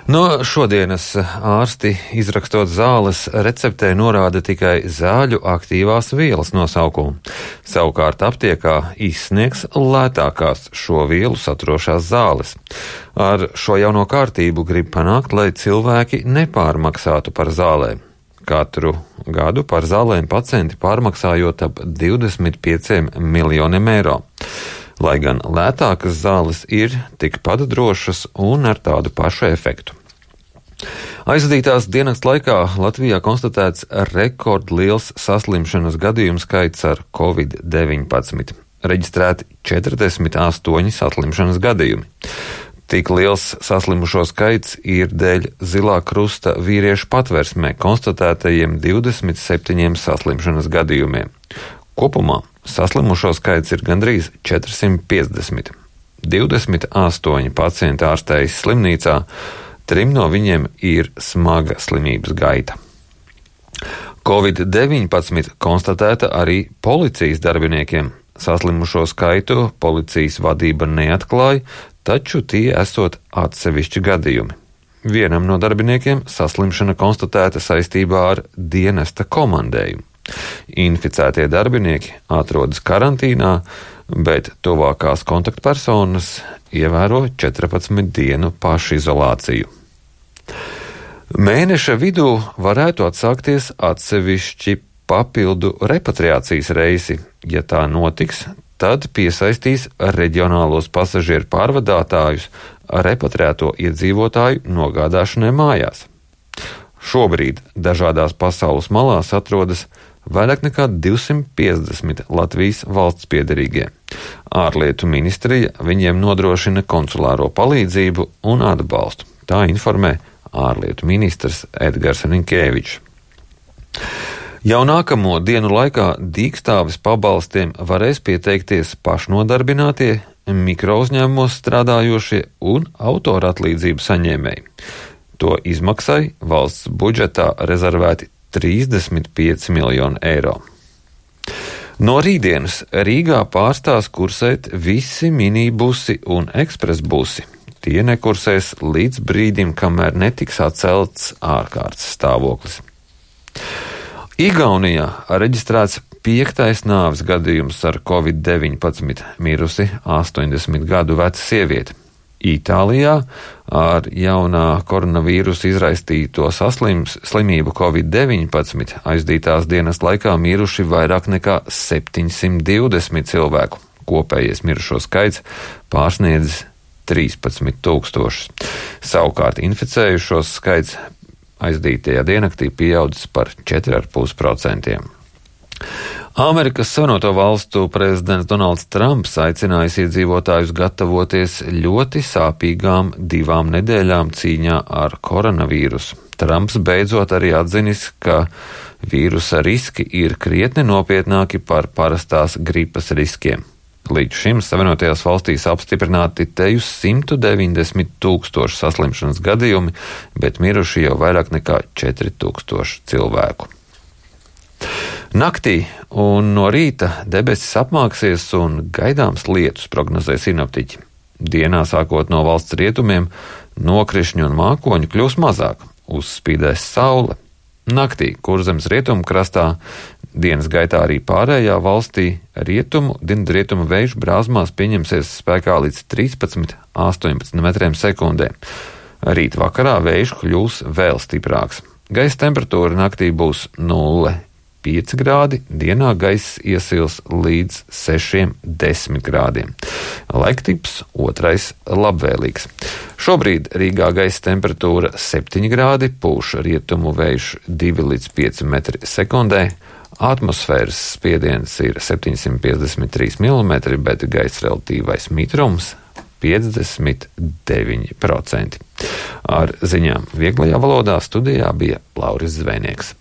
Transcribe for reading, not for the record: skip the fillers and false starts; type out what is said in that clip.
No šodienas ārsti, izrakstot zāles receptē, norāda tikai zāļu aktīvās vielas nosaukumu. Savukārt aptiekā izsniegs lētākās šo vielu saturošās zāles. Ar šo jauno kārtību grib panākt, lai cilvēki nepārmaksātu par zālēm. Katru gadu par zālēm pacienti pārmaksājot ap 25 miljoniem eiro. Lai gan lētākas zāles ir tikpat drošas un ar tādu pašu efektu. Aizvadītās dienas laikā Latvijā konstatēts rekordliels saslimšanas gadījumu skaits ar Covid-19. Reģistrēti 48 saslimšanas gadījumi. Tik liels saslimušo skaits ir dēļ Zilā krusta vīriešu patversmē konstatētajiem 27 saslimšanas gadījumiem. Kopumā saslimušo skaits ir gandrīz 450. 28 pacienti ārstējas slimnīcā, 3 no viņiem ir smaga slimības gaita. Covid-19 konstatēta arī policijas darbiniekiem. Saslimušo skaitu policijas vadība neatklāja, taču tie esot atsevišķi gadījumi. Vienam no darbiniekiem saslimšana konstatēta saistībā ar dienesta komandējumu. Inficētie darbinieki atrodas karantīnā, bet tuvākās kontaktpersonas ievēro 14 dienu pašizolāciju. Mēneša vidū varētu atsākties atsevišķi papildu repatriācijas reisi. Ja tā notiks, tad piesaistīs reģionālos pasažieru pārvadātājus repatriēto iedzīvotāju nogādāšanai mājās. Šobrīd dažādās pasaules malās atrodas vairāk nekā 250 Latvijas valsts piederīgie. Ārlietu ministrija viņiem nodrošina konsulāro palīdzību un atbalstu. Tā informē ārlietu ministrs Edgars Rinkēvičs. Jau nākamo dienu laikā dīkstāves pabalstiem varēs pieteikties pašnodarbinātie, mikrouzņēmumos strādājošie un autora atlīdzību saņēmēji. To izmaksai valsts budžetā rezervēti 35 miljoni eiro. No rītdienas Rīgā pārstās kursēt visi minibusi un ekspresbusi. Tie nekursēs līdz brīdim, kamēr netiks atcelts ārkārtas stāvoklis. Igaunijā reģistrēts 5. nāves gadījums ar Covid-19, mirusi 80 gadu veca sieviete. Itālijā ar jaunā koronavīrusa izraisīto slimību Covid-19 aizdītās dienas laikā miruši vairāk nekā 720 cilvēku. Kopējais mirušo skaits pārsniedz 13,000. Savukārt inficējušos skaits aizdītajā diennaktī pieaudzis par 4,5%. Amerikas Savienoto Valstu prezidents Donalds Trumps aicinājis iedzīvotājus gatavoties ļoti sāpīgām 2 nedēļām cīņā ar koronavīrusu. Trumps beidzot arī atzinis, ka vīrusa riski ir krietni nopietnāki par parastās gripas riskiem. Līdz šim Savienotajās valstīs apstiprināti teju 190,000 saslimšanas gadījumi, bet miruši jau vairāk nekā 4,000 cilvēku. Naktī un no rīta debesis apmāksies un gaidāms lietus, prognozē sinoptiķi. Dienā sākot no valsts rietumiem, nokrišņu un mākoņu kļūs mazāk, uzspīdēs saule. Naktī Kurzemes rietumu krastā, dienas gaitā arī pārējā valstī dienvidrietumu vējš brāzmās pieņemsies spēkā līdz 13–18 metriem sekundē. Rīt vakarā vējš kļūs vēl stiprāks. Gaisa temperatūra naktī būs 0,5 grādi, dienā gaiss iesils līdz 6–10 grādiem. Laiktips 2. labvēlīgs. Šobrīd Rīgā gaisa temperatūra 7 grādi, pūš rietumu vējš 2–5 metri sekundē. Atmosfēras spiediens ir 753 mm, bet gaisa relatīvais mitrums 59%. Ar ziņām vieglajā valodā studijā bija Lauris Zvejnieks.